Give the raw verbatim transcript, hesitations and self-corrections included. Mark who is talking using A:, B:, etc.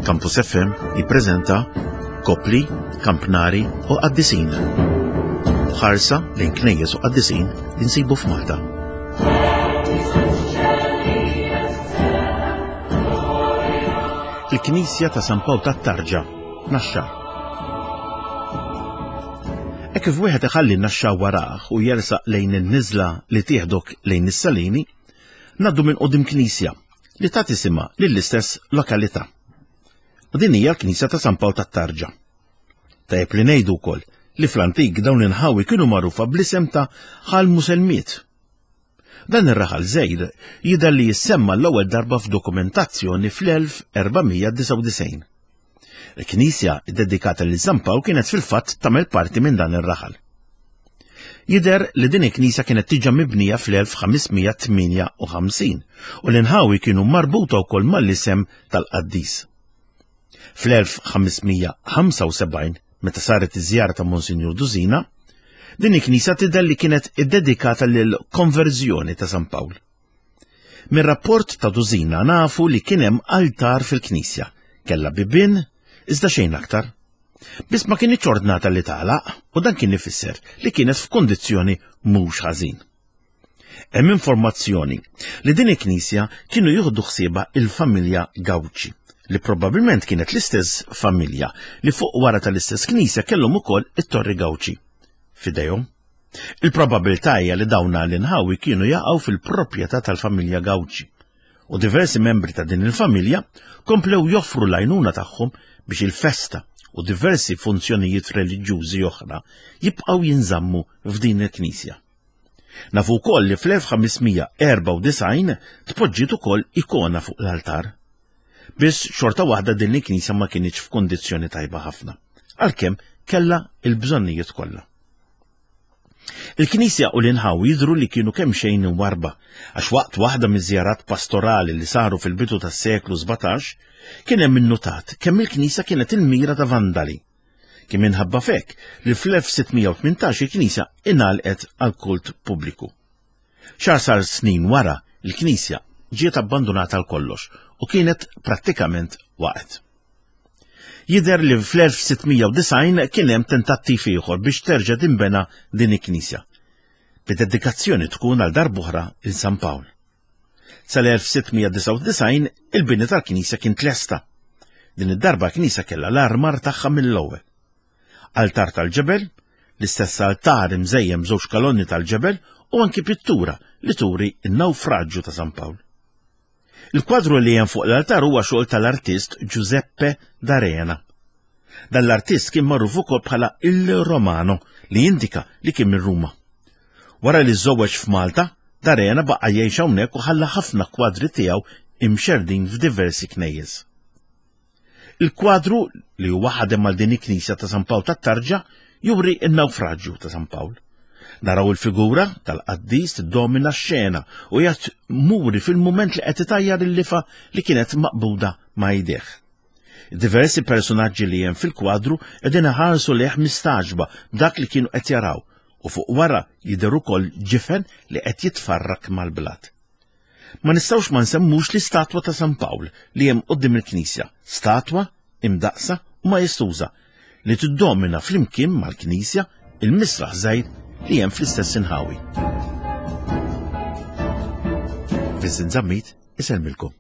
A: Campus F M jippreżenta Kopli, Kampnari u Qaddisin. Ħarsa lejn knejjes u qaddisin li nsibu f'Malta. Il-Knisja ta' San Pawl tat-Tarġa, Naxxar. Hekk kif wieħed iħalli n-Naxxar warah u jersaq lejn in-niżla li tieħdok lejn is-Salini, ngħaddu minn quddiem knisja li tagħti isimha lill-istess lokalità. U din hija l-Knisja ta' San Pawl tat-Tarġa. Tajjeb li ngħidu wkoll li fl-antik dawn l-inħawi kienu magħrufa bl-isem ta' Ħal Muselmiet. Dan ir-raħal żgħir jidher li jissemma l-ewwel darba f'dokumentazzjoni fl-elf erbamija disgħa u disgħin. Il-knisja ddedikata lil San Pawl kienet fil-fatt tagħmel parti minn dan ir-raħal. Jidher li din il-knisja kienet tiġa mibnija fl-elf ħamesmija tmienja u ħamsin u l-inħawi kienu marbuta wkoll mal-isem tal-qaddis. Fl-elf ħamesmija ħamsa u sebgħin, meta saret iż-żjara ta' Monsinjur Dusina, din il-knisja tidher li kienet iddedikata lill-konverżjoni ta' San Pawl. Mir-rapport ta' Dusina nafu li kien hemm altar fil-knisja, kellha bibien, iżda xejn aktar. Biss ma kienx ordnata li tagħlaq u dan kien ifisser li kienet f'kondizzjoni mhux ħażin. Hemm informazzjoni li din il-knisja kienu jieħdu ħsiebha il-familja Gauci, li probabbilment kienet l-istess familja li fuq wara tal-istess knisja kellhom ukoll it-Torri Gauci f'idejhom. Il-probabilità hija li dawn l-inħawi kienu jaqgħu fil-proprjetà tal-familja Gauci u diversi membri ta' din il-familja komplew joffru l-għajnuna tagħhom biex il-festa u diversi funzjonijiet reliġjużi oħra jibqgħu jinżammu f'din il-knisja. Nafu wkoll li fl-elf ħamesmija erba' u disgħin tpoġġiet ukoll ikona fuq l-altar. Biss xorta waħda din il-knisja ma kienx f'kondizzjoni tajba ħafna, għalkemm kellha il-bżonnijiet kollha. Il-knisja u l-inħawi jidhru li kienu kemm xejn imwarba, għax waqt waħda miż-żjarat pastorali li saru fil-bidu tas-seklu sbatax, kien hemm innutat kemm il-knisja kienet il-mira ta' vandali. Kien minħabba fek li fl-elf sittmija u tmintax il-knisja ingħalqet għal kult pubbliku. Xahar sar snin wara, il-knisja ġiet abbandunata għal kollox u kienet prattikament waqgħet. Jidher li fl-elf sittmija u disgħin kien hemm tentattiv ieħor biex terġa' tinbena din il-knisja, bid-dedikazzjoni tkun għal darb'oħra il San Pawl. Sal-elf sittmija disgħa u disgħin il-bini tal-knisja kien tlesta. Din id-darba l-knisja kellha l-armar tagħha mill-ewwel. Altar tal-ġebel, l-istess altar imżejjem b'żewġ kalonni tal-ġebel u anki pittura li turi n-nawfraġġju ta' San Pawl. Il-kwadru li hemm fuq l-altar huwa xogħol tal-artist Giuseppe D'Arena. Dan l-artist kien magħruf ukoll bħala Il Romano, li jindika li kien minn Ruma. Wara li żżewweġ f'Malta, D'Arena baqa' jgħix hawnhekk u ħalla ħafna kwadri tiegħu imxerdin f'diversi knejjes. Il-kwadru li huwa ħadem mal din il-knisja ta' San Pawl tat-Tarġa juri n-nawfraġġju ta' San Pawl. Naraw il-figura tal-qaddis tiddomina x-xena u jgħat muri fil-mument li qed itajjar il-lifa li kienet maqbuda ma' jdejh. Diversi personaġġi li hemm fil-kwadru qegħdin iħarsu lejh mistaġba b'dak li kienu qed jaraw u fuq wara jidher ukoll ġifen li qed jitfarrak mal-blat. Ma nistgħux ma nsemmux l-istatwa ta' San Pawl li hemm quddiem il-knisja, statwa imdaqsa u majestuża li tiddomina flimkien mal-knisja il-misraħ żgħir li hemm fl-istess inħawi. Vincent Zammit isellmilkom.